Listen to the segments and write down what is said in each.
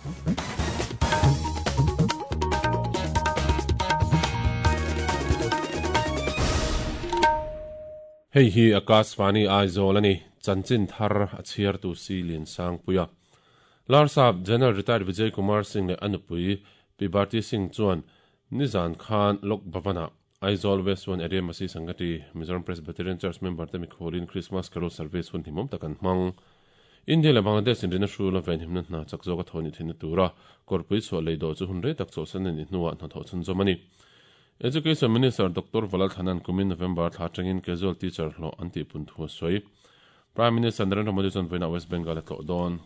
Hei hi Akashvani Aizawl a ni, chanchin thar a chhiartu si Liansangpuia. Larsap General Retired Vijay Kumar Singh leh a nupui Pi Bharti Singh chuan nizan khan Lok Bhavan-ah Aizawl West One Area Masi Sangati Mizoram Presbyterian Church member te mikhualin Christmas Carol Service hun hlimawm tak an hmang. India leh Bangladesh inrina hrul a venhimna hna chak zawk a thaw ni theihna tura kawrpui chhuah lei dawh chu hun rei tak chawlhsan a nih hnuah hnathawh chhunzawm a ni. Education Minister Doctor Valal Thanan kumin November thla atangin casual teacher hlawh an tihpun thu a sawi. Prime Minister Narendra Modi chuan vawiinah West Bengal a tlawh dawn.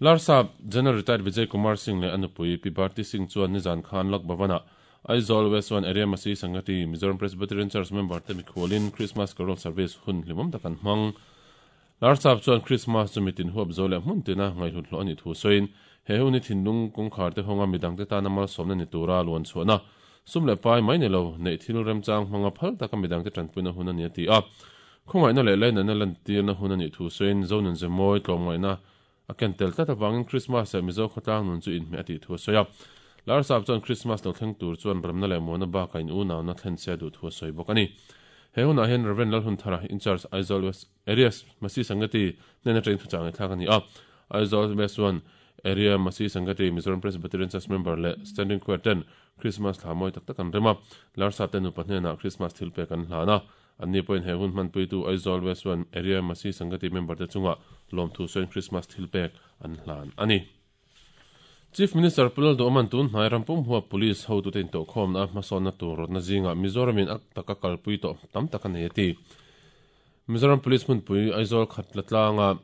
Larsap General Retired Vijay Kumar Singh leh a nupui Pi Bharti Singh chuan nizan khan Lok Bhavan-ah Aizawl West One Area Masi Sangati Mizoram Presbyterian Church member te mikhualin Christmas Carol Service hun hlimawm tak an hmang. Larsap chuan Christmas chu mitin huap zo leh hmun tina ngaihhlut hlawh a nih thu sawiin he hun hi thinlung kawngkhar te hawnga midangte tana malsawmna ni tura luan chhuahna sum leh pai mai ni lo neih thil remchang hmanga phal taka midangte tanpuina hun a ni a ti a. Khawngaihna leh lainatna lantirna hun a nih thu sawiin Zonun Zemawi tlawmngaihna a ken tel tlat avangin Krismas leh Mizo khawtlang nun chu inhmeh a tih thu a sawi a. Larsap chuan Krismas lo thleng tur chuan remna leh muana bakah in unauna thlen se a duh thu a sawi bawk a ni. He hunah hian Rev. Lalhunthara, In-charge Aizawl West Areas Masi Sangati hnena train thuchah ngaihthlak a ni a. Aizawl West One Area Masi Sangati Mizoram Presbyterian Church member leh Standing Choir ten Krismas thla mawi tak tak an rem a. Larsap te nupa hnenah Krismas thil pek an hlan a. Anni pawhin he hun hmanpuitu Aizawl West One Area Masi Sangati member te chungah lawmthu sawiin Krismas thil pek an hlan a ni. Chief Minister Pu Lalduhawma'n tun hnai ram pum huap Police hotute intawhkhawmna a hmasawnna tur rawtna zingah Mizoramin a taka kalpui tawh tam tak a nei a ti. Mizoram Police hmunpui Aizawl khat la tlanga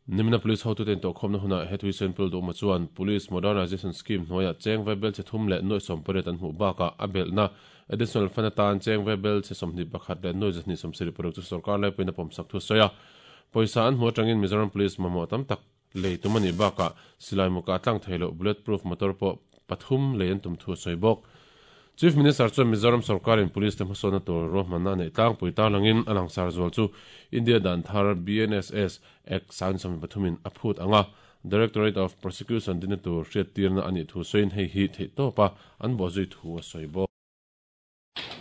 Nimina Police hotute intawhkhawmna hunah he thuisen Pu Lalduhawma chuan Police Modernisation Scheme hnuaiah cheng vaibel chhe thum leh nuaih sawmpariat an hmuh bakah a belhna Additional Fund atan cheng vaibel chhe 21 leh nuaih 276 chu sorkar laipuiin a pawmsak thu a sawi a. Pawisa an hmuh atangin Mizoram Police mamawh tam tak lei tum a nih bakah silai muka tlang thei loh bullet proof motor pawh pathum lei an tum thu a sawi bawk. Chief Minister chuan Mizoram sorkarin police te hmasawnna tur ruahmanna a neih tlangpui tarlangin a langsar zual chu India dan thar BNSS Act 1973 in a phut ang a, Directorate of Prosecution dinna tur hriattirna a nih thu sawiin hei hi theihtawpa an bawhzui thu a sawi bawk.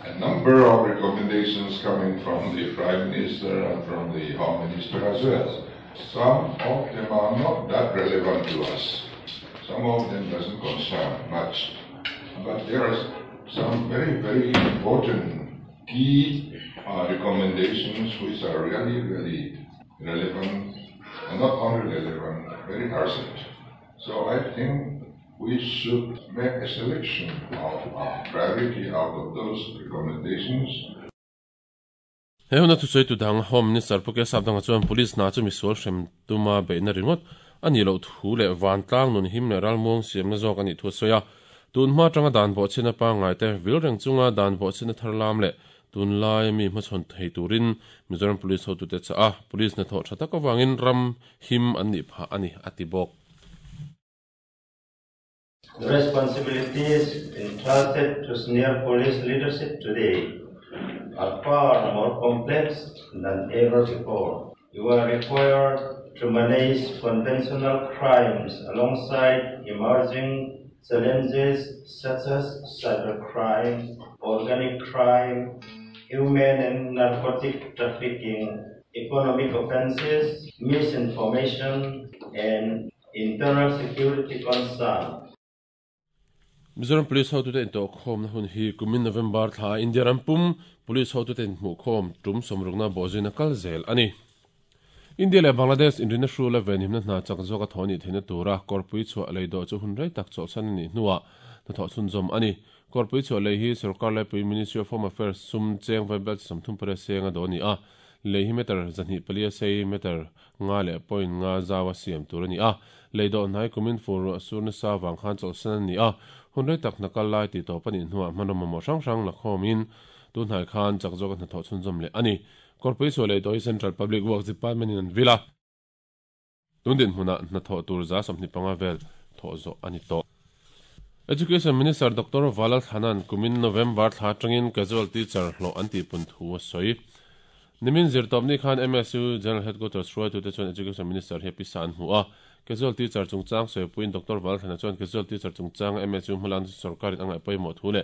A number of recommendations coming from the Prime Minister and from the Home Minister as well. Some of them are not that relevant to us. Some of them doesn't concern much. But there are some very, very important key uh, recommendations which are really, really relevant, and not only relevant, very urgent. So I think we should make a selection of uh, priority out of those recommendations. He huna thusawi tu dang Home Minister Pu Kesap dangah chuan Police hna chu misual hrem tuma beihna ringawt a nih loh thu leh vantlang nun him leh ralmuang siamna zawk a nih thu a sawi a. Tun hma atanga dan bawhchhiatna pangngai te vil reng chunga dan bawhchhiatna thar lam leh tunlaia mi hmachhawn thei turin Mizoram Police hotute chah a, Police hnathawh tha tak avangin ram him an nih phah a ni, a ti bawk. The responsibilities entrusted to senior police leadership today are far more complex than ever before. You are required to manage conventional crimes alongside emerging challenges such as cybercrime, organic crime, human and narcotic trafficking, economic offenses, misinformation, and internal security concerns. Mizoram Police hotute intawhkhawmna hun hi kumin November thla India ram pum Police hotute inhmuhkhawm tum sawmrukna bawhzuina kal zel a ni. India leh Bangladesh inrina hrula venhimna hna chak zawk a thawh anih theihna tura kawrpui chhuah lei dawh chu hun rei tak chawlhsan a nih hnuah hnathawh chhunzawm a ni. Kawrpui chhuah lei hi sorkar laipui Ministry of Home Affairs sum cheng vaibel chi 38 seng a dawh a ni a, lei hi meter 204 a sei, meter nga leh point nga zau a siam tur a ni a. Lei dawh hnai kumin fur ruah sur nasa vang khan chawlhsan a ni a, hun rei tak hna kal lai tih tawp a nih hnuah hmanraw mamawh hrang hrang la khawmin tun hnai khan chak zawka hnathawh chhunzawm leh a ni. Kawrpui chhuah lei dawh hi Central Public Works Department in an vil a, tun dinhmunah hnathawh tur 25 vel thawh zawh a ni tawh. Education Minister Doctor Valal Thanan kumin November thla atangin casual teacher hlawh an tihpun thu a sawi. Nimin zirtawpni khan MSU General Headquarters hruaitute chuan Education Minister hi a pisa an hmu a. Casual teacher chungchang sawipuiin Doctor Valthlana chuan casual teacher chungchanga MSU hmalakna chu sorkarin a ngaih pawimawh thu leh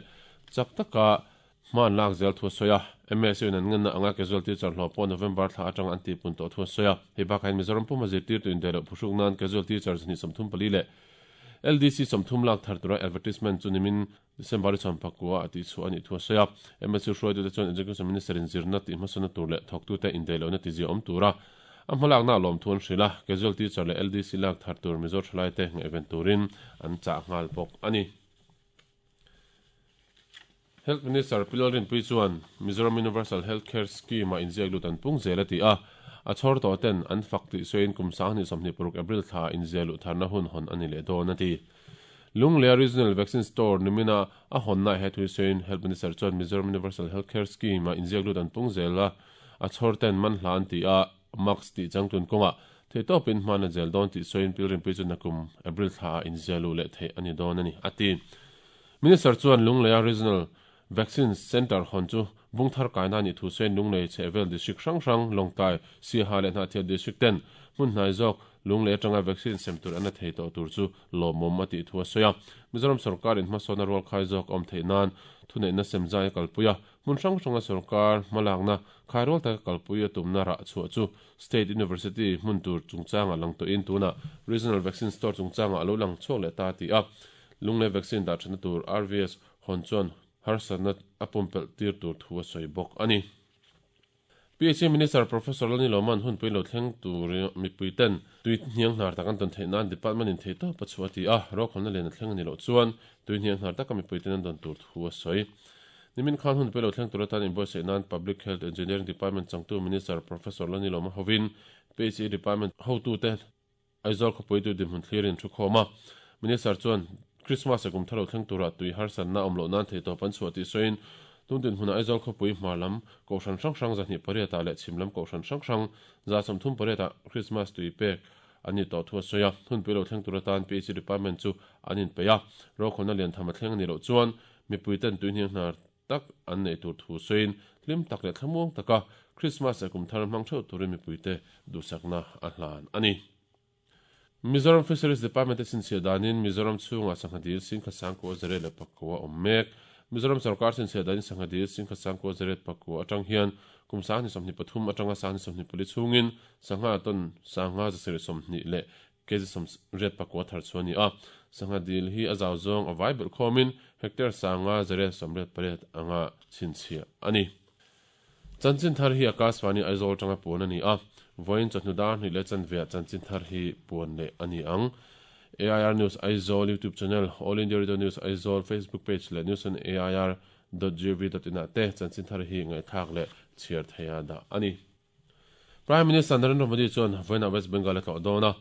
chak taka hma an lak zel thu a sawi a. MSU in an ngenna anga casual teacher hlawh pawh November thla atanga an tihpun tawh thu a sawi a. Hei bakah hian Mizoram puma zirtirtu indaih loh phuhruk nan casual teacher 234 leh LDC 30 lak thar tura advertisement chu nimin December chhuan pakua a tihchhuah a nih thu a sawi a. MSU hruaitute chuan Education Minister in zirna tih hmasawnna tur leh thawktute indaih lohna tizia awm tura a hmalakna a lawmthu an hrilh a, Casual Teacher leh LDC lak thar tur Mizo thalaite ngaihven turin an chah nghal bawk a ni. Health Minister Pi Lalrinpuii chuan Mizoram Universal Health Care Scheme-ah inziak lut an pung zel a ti a, a chhawr tawh ten an fak tih sawiin kum 2026 April thlaah inziah luh tharna hun hawn a ni leh dawn a ti. Lunglea Regional Vaccine Store nimina a hawnnaah he thu sawiin Health Minister chuan Mizoram Universal Health Care Scheme-ah inziak lut an pung zel a, a chhawr ten man hla an ti a, Mask tih changtlun kawngah theihtawpin hman a zel dawn tih sawiin Pilrinpui chu nakum April thlaah inziah luh leh theih a ni dawn a ni, a ti. Minister chuan Lungleia Regional Vaccine Centre hawn chu Bungthar kaina a nih thu sawiin Lunglei chhehvel District hrang hrang, Lawngtlai, Siaha leh Hnahthial District ten hmun hnai zawk Lunglei atanga vaccine sem tur an la thei tawh tur chu lawmawm a tih thu a sawi a. Mizoram sawrkarin hmasawnna rualkhai zawk a awm theih nan thuneihna sem zai a kalpui a, Hmun hrang hranga sorkar hmalakna khairual taka kalpui a tumna rah chhuah chu State University hmun tur chungchangah lang tawhin tunah Regional Vaccine Store chungchangah a lo lang chhuak leh ta a ti a. Lunglei vaccine dah thatna tur RVS hawn chuan harsatna a pumpelh tir tur thu a sawi bawk a ni. PHE Minister Professor Lani Loman hunpui lo thleng tur mipui ten tui hniang hnar tak an tawn theih nan department in theihtawp a chhuah a ti a, rokhawlna lian a thleng a ni loh chuan tui hniang hnar taka mipui ten an dawn tur thu a sawi. Nimin khan hunpui lo thleng tur atan inbuatsaih nan Public Health Engineering Department changtu Minister Professor Lani Lawma hovin PHE Department hotute Aizawl khawpuitu dinhmun thlirin thu khawm a. Minister chuan Christmas leh kum thar lo thleng turah tui harsatna awm loh nan theihtawp an chhuah tih sawiin tun dinhmunah Aizawl khawpui hmar lam Kohhran hrang hrang 28 ah leh chhim lam Kohhran hrang hrang 38 ah Christmas tui pek an ni tawh thu a sawi a. Hunpui lo thleng tur atan PHE Department chu an inpeih a, rokhawlna lian tham a thleng a nih loh chuan Mipuiten tuihniang hnar tak an neih tur thu sawiin hlim tak leh thlamuang taka Krismas leh kum thar hmang theuh turin mipuite duhsakna a hlan a ni. Mizoram Fisheries Department te chhinchhiah danin Mizoram chhungah sangha dil singkha sangkua zariat leh pakua a awm mek. Mizoram sorkar chhinchhiah danin sangha dil singkha sangkua zariat pakua atang hian kum 2023 atanga 2024 chhungin sangha ton sangha 720 leh Kg 84 thar chu a ni a, sangha dil hi a zau zawng a vai belh khawmin hectare 588 anga chhinchhiah a ni. Chanchin thar hi Akashvani Aizawl atanga puan a ni a, vawiin chawhnu dar hnih leh chanveah chanchin thar hi puan leh a ni ang. AIR News Aizawl YouTube channel, All India Radio News Aizawl Facebook page leh news on air dot gov dot in ah te chanchin thar hi ngaihthlak leh chhiar theiha dah a ni. Prime Minister Narendra Modi chuan vawiinah West Bengal a tlawh dawn a.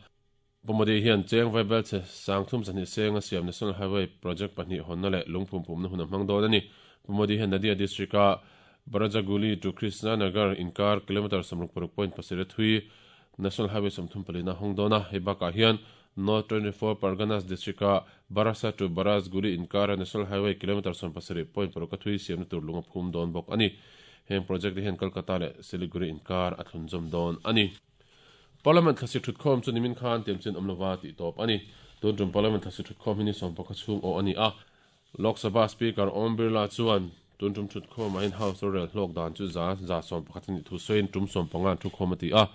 Pu Modi hian cheng vaibelchhe sang thum zahnih seng a siam National Highway project pahnih hawnna leh lungphum phumna hun a hmang dawn a ni. Pu Modi hian Nadia district-a Barajaguli to Krishna Nagar inkar kilometre 66.7 a thui National Highway 34 a hawng dawn a. Hei bakah hian North 24 Parganas district-a Barasa to Barajguli inkara National Highway kilometre 17.6 a thui siamna tur lung a phum dawn bawk a ni. Heng project te hian Kolkata leh Siliguri inkar a thlunzawm dawn a ni. Parliament thlasik thutkhawm chu nimin khan tiamchin awm lova tih tawp a ni. Tun tum Parliament thlasik thutkhawm hi ni sawmpakhat chhung awh a ni a. Lok Sabha Speaker Om Birla chuan tun tum thutkhawmah hian House rorel hlawk dan chu 111% a nih thu sawiin tum sawmpanga an thukhawm a ti a.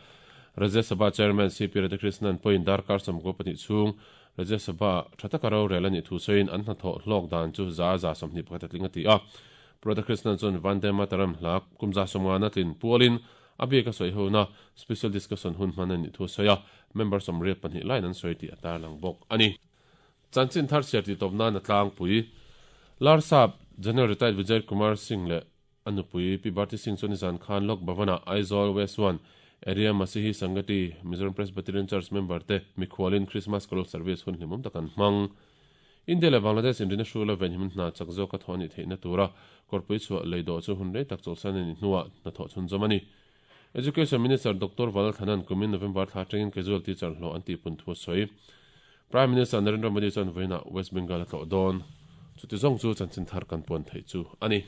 Rajya Sabha Chairman CP Radhakrishnan pawhin darkar 92 chhung Rajya Sabha tha taka rorel a nih thu sawiin an hnathawh hlawk dan chu 21% a tling a ti a. Radhakrishnan chuan Vande Mataram hla kum 150 tlin pualin a bik a sawi hona special discussion hun hman a nih thu a sawi a, member 82 laiin an sawi tih a tarlang bawk a ni. Chanchin thar chhiar tih tawp nan a tlangpui. Larsap General Retired Vijay Kumar Singh leh a nupui Pi Bharti Singh chuan nizan khan Lok Bhavan-ah Aizawl West 1 Area Masihi Sangati Mizoram Presbyterian Church member te mikhualin Christmas Carol Service hun hlimawm tak an hmang. India leh Bangladesh inrina hrula venhim hna chak zawka thawh a nih theihna tura kawrpui chhuah lei dawh chu hun rei tak chawlhsan a nih hnuah hnathawh chhunzawm a ni. Education Minister Doctor Valalthanan kumin November thla atangin casual teacher hlawh an tihpun thu a sawi. Prime Minister Narendra Modi chuan vawiinah West Bengal a tlawh dawn. Chuti zawng chu chanchin thar kan puan theih chu a ni.